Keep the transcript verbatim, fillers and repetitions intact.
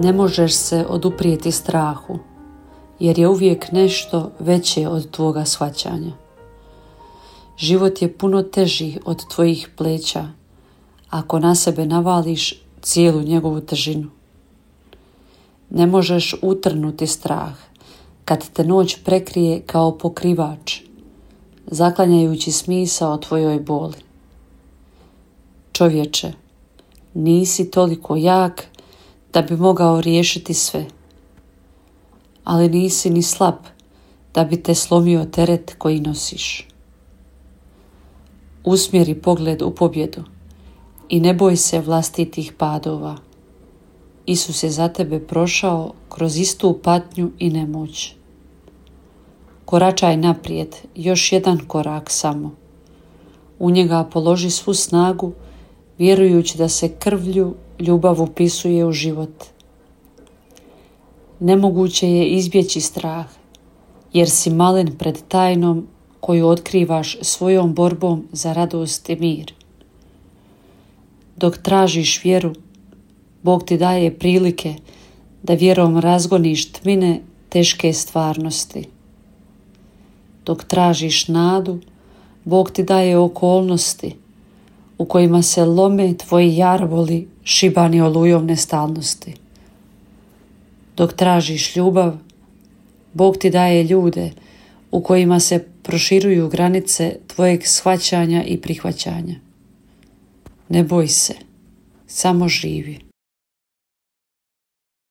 Ne možeš se oduprijeti strahu, jer je uvijek nešto veće od tvoga shvaćanja. Život je puno teži od tvojih pleća ako na sebe navališ cijelu njegovu težinu. Ne možeš utrnuti strah kad te noć prekrije kao pokrivač, zaklanjajući smisao tvojoj boli. Čovječe, nisi toliko jak da bi mogao riješiti sve, ali nisi ni slab da bi te slomio teret koji nosiš. Usmjeri pogled u pobjedu i ne boj se vlastitih padova. Isus je za tebe prošao kroz istu patnju i nemoć. Koračaj naprijed, još jedan korak samo. U njega položi svu snagu, vjerujući da se krvlju ljubav upisuje u život. Nemoguće je izbjeći strah, jer si malen pred tajnom koju otkrivaš svojom borbom za radost i mir. Dok tražiš vjeru, Bog ti daje prilike da vjerom razgoniš tmine teške stvarnosti. Dok tražiš nadu, Bog ti daje okolnosti u kojima se lome tvoji jarvoli šibani olujom nestalnosti. Dok tražiš ljubav, Bog ti daje ljude u kojima se proširuju granice tvojeg shvaćanja i prihvaćanja. Ne boj se, samo živi.